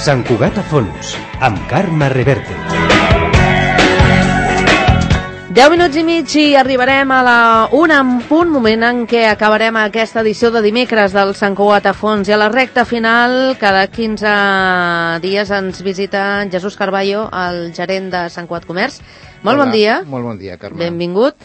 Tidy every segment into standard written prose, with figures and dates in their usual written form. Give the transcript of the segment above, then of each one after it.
Sant Cugat a fons, amb Carme Reverte. 10 minuts i mig i arribarem a la 1 en punt, moment en què acabarem aquesta edició de dimecres del Sant Cugat a fons. I a la recta final, cada 15 dies ens visita Jesús Carballo, el gerent de Sant Cugat Comerç. Molt bon dia. Molt bon dia, Carme. Benvingut.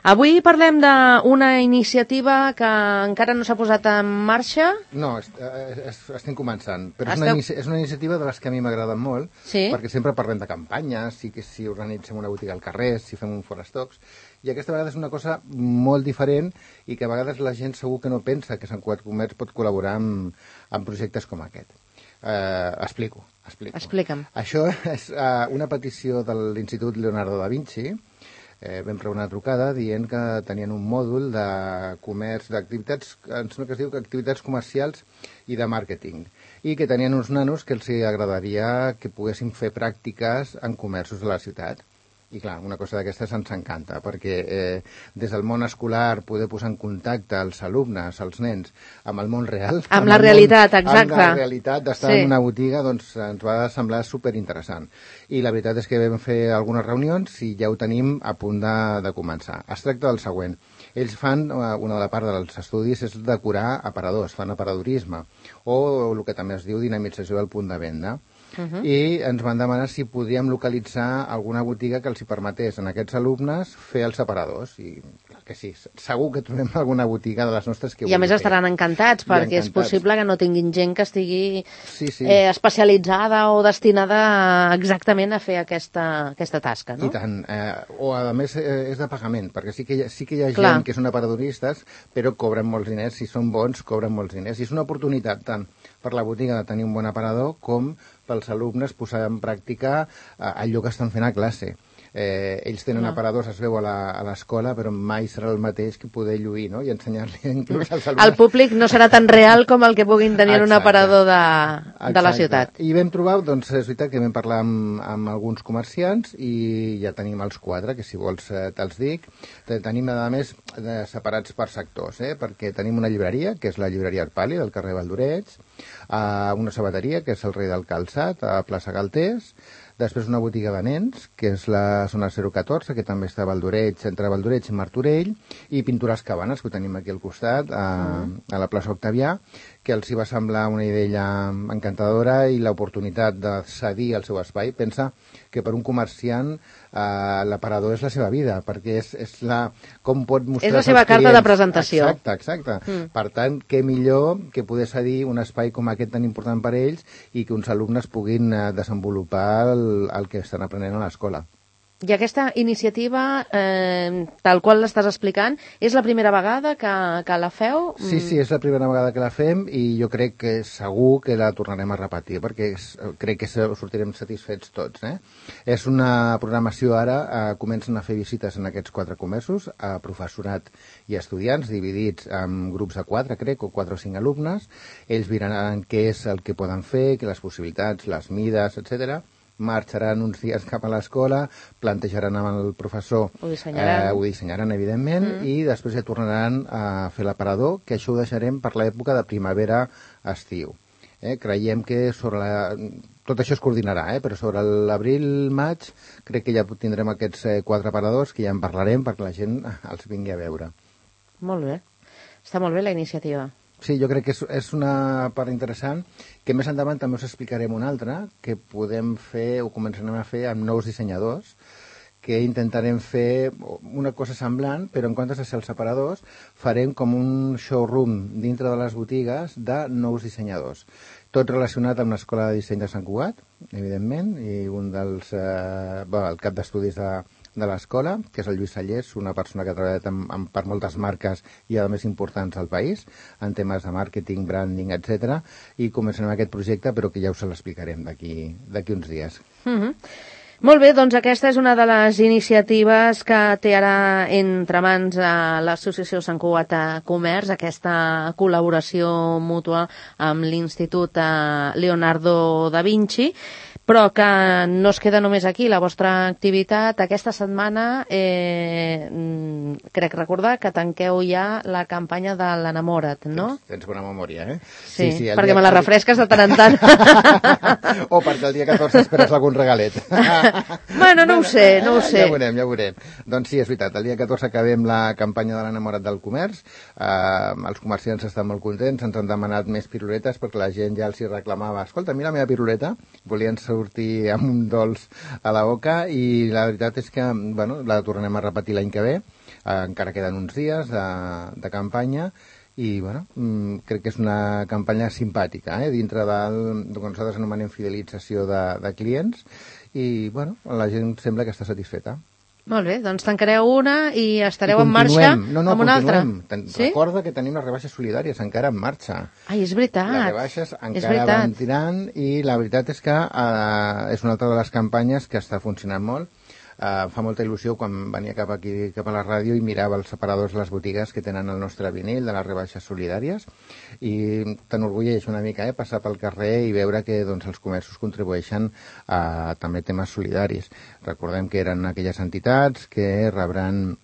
Avui parlem d'una iniciativa que encara no s'ha posat en marxa. No, estem començant, però és una iniciativa de les que a mi m'agraden molt, sí? Perquè sempre parlem de campanyes, si organitzem una botiga al carrer, si fem un forestocs, i aquesta vegada és una cosa molt diferent i que a vegades la gent segur que no pensa que Sant Cugat Comerç pot col·laborar en projectes com aquest. Explico. Explica'm. Això és una petició de l'Institut Leonardo da Vinci. Vam rebre una trucada dient que tenien un mòdul de comerç, d'activitats, em sembla que es diu activitats comercials i de màrqueting, i que tenien uns nanos que els agradaria que poguessin fer pràctiques en comerços de la ciutat. I clar, una cosa d'aquestes ens encanta, perquè des del món escolar poder posar en contacte els alumnes, els nens, amb el món real. Amb la realitat, exacte. Amb la realitat d'estar en una botiga, doncs ens va semblar superinteressant. I la veritat és que vam fer algunes reunions i ja ho tenim a punt de començar. Es tracta del següent. Ells fan, una de la part dels estudis és decorar aparadors, fan aparadorisme, o el que també es diu dinamització del punt de venda. I ens van demanar si podíem localitzar alguna botiga que els hi permetés a aquests alumnes fer els aparadors. I clar que sí, segur que trobem alguna botiga de les nostres que I a més estaran encantats, perquè és possible que no tinguin gent que estigui especialitzada o destinada exactament a fer aquesta tasca, no? I tant. O a més és de pagament, perquè sí que hi ha gent que són aparadoristes, però cobren molts diners, si són bons cobren molts diners. I és una oportunitat tant per la botiga de tenir un bon aparador com pels alumnes posar en pràctica allò que estan fent a classe. Ells tenen aparadors, es veu a l'escola, però mai serà el mateix que poder lluir, no? I ensenyar-li inclús als alumnes. El públic no serà tan real com el que puguin tenir en un aparador de la ciutat. I vam trobar, doncs és veritat que vam parlar amb alguns comerciants i ja tenim els 4, que si vols te'ls dic. Tenim, a més, separats per sectors, perquè tenim una llibreria, que és la llibreria Arpali, del carrer Valdoreig, una sabateria, que és el Rei del Calçat, a plaça Galtés, després una botiga de nens, que és la zona 014, que també està a Valdoreig, entre Valdoreig i Martorell, i Pintures Cabanes, que ho tenim aquí al costat, a la plaça Octavià, que els hi va semblar una idea encantadora i l'oportunitat de cedir el seu espai. Pensa que per un comerciant l'aparador és la seva vida, perquè és com pot mostrar... És la seva carta de presentació. Exacte. Per tant, què millor que poder cedir un espai com aquest tan important per ells i que uns alumnes puguin desenvolupar el que estan aprenent a l'escola. I aquesta iniciativa, tal qual l'estàs explicant, és la primera vegada que la feu? Sí, és la primera vegada que la fem i jo crec que segur que la tornarem a repetir, perquè crec que sortirem satisfets tots. És una programació ara, comencen a fer visites en aquests 4 comerços, a professorat i estudiants, dividits en grups de 4, crec, o 4 o 5 alumnes. Ells miraran què és el que poden fer, les possibilitats, les mides, etc. Marxaran uns dies cap a l'escola, plantejaran amb el professor, ho dissenyaran evidentment, i després ja tornaran a fer l'aparador, que això ho deixarem per l'època de primavera-estiu. Creiem que tot això es coordinarà, però sobre l'abril-maig crec que ja tindrem aquests 4 aparadors, que ja en parlarem perquè la gent els vingui a veure. Molt bé. Està molt bé la iniciativa. Sí, jo crec que és una part interessant, que més endavant també us explicarem una altra, que podem fer o començarem a fer amb nous dissenyadors, que intentarem fer una cosa semblant, però en comptes de ser els separadors, farem com un showroom dintre de les botigues de nous dissenyadors. Tot relacionat amb l'Escola de Disseny de Sant Cugat, evidentment, i un dels... el cap d'estudis de l'escola, que és el Lluís Sallés, una persona que ha treballat per moltes marques i a més importants al país, en temes de màrqueting, branding, etc. I començarem aquest projecte, però que ja us l'explicarem d'aquí uns dies. Molt bé, doncs aquesta és una de les iniciatives que té ara entre mans l'Associació Sant Cugat Comerç, aquesta col·laboració mútua amb l'Institut Leonardo da Vinci. Però que no es queda només aquí la vostra activitat. Aquesta setmana crec recordar que tanqueu ja la campanya de l'Enamora't, no? Tens bona memòria, eh? Sí, perquè me la refresques de tant en tant. O perquè el dia 14 esperes algun regalet. Bueno, no ho sé. Ja ho veurem. Doncs sí, és veritat, el dia 14 acabem la campanya de l'Enamora't del comerç. Els comerciants estan molt contents, ens han demanat més piruletes perquè la gent ja els hi reclamava: escolta, mira la meva piruleta, volien sortir amb un dolç a la boca, i la veritat és que la tornarem a repetir l'any que ve. Encara queden uns dies de campanya i crec que és una campanya simpàtica, dintre del que nosaltres anomenem fidelització de clients, i la gent sembla que està satisfeta. Molt bé, doncs tancareu una i estareu en marxa amb una altra. Sí? Recorda que tenim les rebaixes solidàries encara en marxa. Ai, és veritat. Les rebaixes encara van tirant, i la veritat és que és una altra de les campanyes que està funcionant molt. Fa molta il·lusió quan venia cap aquí, cap a la ràdio, i mirava els separadors de les botigues que tenen el nostre vinil de les rebaixes solidàries, i t'enorgulleix una mica passar pel carrer i veure que els comerços contribueixen a també temes solidaris. Recordem que eren aquelles entitats que rebran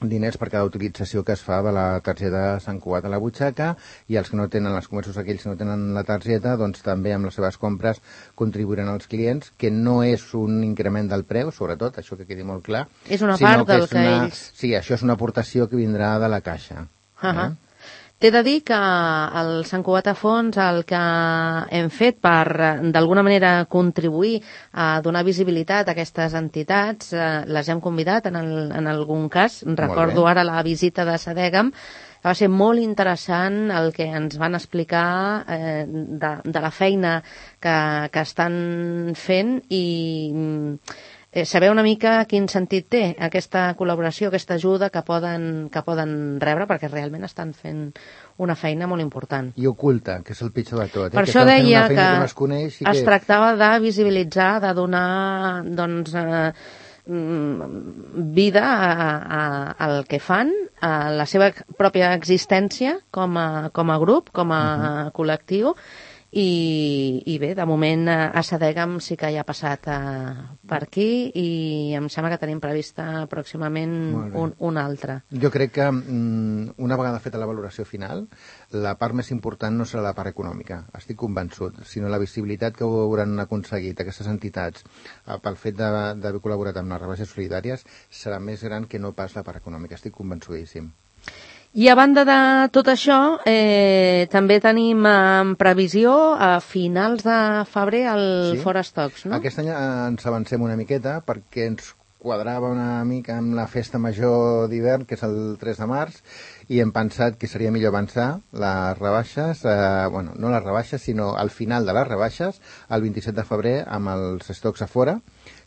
diners per cada utilització que es fa de la targeta Sant Cugat a la butxaca, i els que no tenen, els comerços aquells que no tenen la targeta, doncs també amb les seves compres contribuiran als clients, que no és un increment del preu, sobretot, això que quedi molt clar. És una part del que ells... Sí, això és una aportació que vindrà de la caixa. T'he de dir que al Sant Cugat a Fons el que hem fet per, d'alguna manera, contribuir a donar visibilitat a aquestes entitats, les hem convidat en algun cas. Recordo ara la visita de Sadegam, que va ser molt interessant el que ens van explicar de la feina que estan fent, i saber una mica quin sentit té aquesta col·laboració, aquesta ajuda que poden rebre, perquè realment estan fent una feina molt important. I oculta, que és el pitjor de tot. Per això deia que es tractava de visibilitzar, de donar vida al que fan, a la seva pròpia existència com a grup, com a col·lectiu. I bé, de moment a Sadegam sí que ja ha passat per aquí, i em sembla que tenim prevista pròximament un altre. Jo crec que una vegada feta la valoració final, la part més important no serà la part econòmica, estic convençut, sinó la visibilitat que hauran aconseguit aquestes entitats pel fet d'haver col·laborat amb les rebaixes solidàries serà més gran que no pas la part econòmica, estic convençudíssim. I a banda de tot això, també tenim en previsió a finals de febrer el Fora Stocks, no? Aquest any ens avancem una miqueta perquè ens quadrava una mica amb la festa major d'hivern, que és el 3 de març, i hem pensat que seria millor avançar les rebaixes, no les rebaixes, sinó al final de les rebaixes, el 27 de febrer, amb els stocks a fora,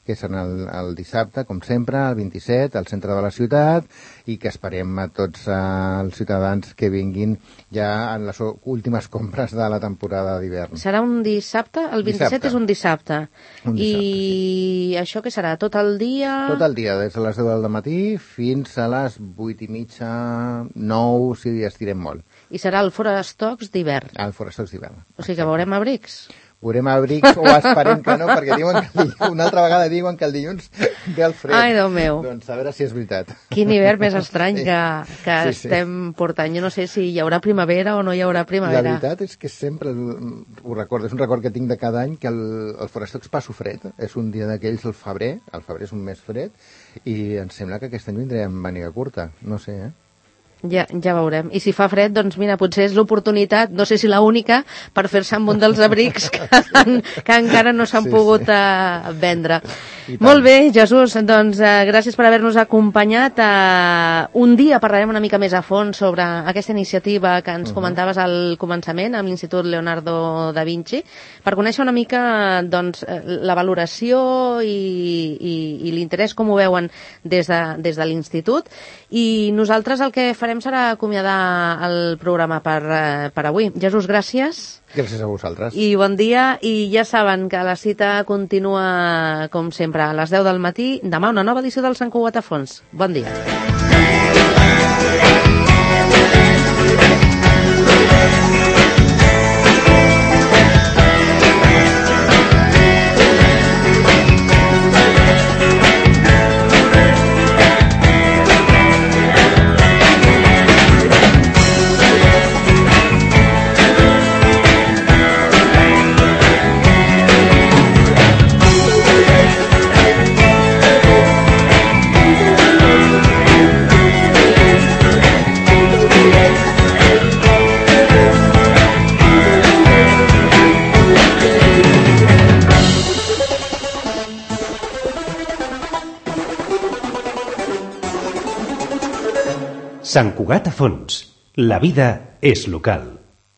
que serà el dissabte, com sempre, el 27, al centre de la ciutat, i que esperem a tots els ciutadans que vinguin ja en les últimes compres de la temporada d'hivern. Serà un dissabte? El 27 és un dissabte. I això què serà? Tot el dia? Tot el dia, des de les 10 del matí fins a les 8:30, 9, si estirem molt. I serà el Fora Stocks d'hivern? El Fora Stocks d'hivern. O sigui que veurem abrics? Veurem abrics, o esperem que no, perquè diuen que una altra vegada diuen que el dilluns ve el fred. Ai, Déu meu. Doncs a veure si és veritat. Quin hivern més estrany que estem portant. Jo no sé si hi haurà primavera o no hi haurà primavera. La veritat és que sempre ho recordo, és un record que tinc de cada any, que el Forestocs passo fred. És un dia d'aquells, el febrer és un mes fred, i em sembla que aquest any vindrem amb màniga curta. No sé, Ja veurem. I si fa fred, doncs mira, potser és l'oportunitat, no sé si la única, per fer-se amb un dels abrics que encara no s'han pogut vendre. Molt bé, Jesús, doncs gràcies per haver-nos acompanyat. Un dia parlarem una mica més a fons sobre aquesta iniciativa que ens comentaves al començament amb l'Institut Leonardo da Vinci, per conèixer una mica doncs, la valoració i l'interès, com ho veuen des de l'Institut. I nosaltres el que farem serà acomiadar el programa per avui. Jesús, gràcies. Gràcies a vosaltres. I bon dia, i ja saben que la cita continua, com sempre, a les 10 del matí. Demà una nova edició del Sant Cugat a Fons. Bon dia. Sant Cugat a Fons. La vida és local.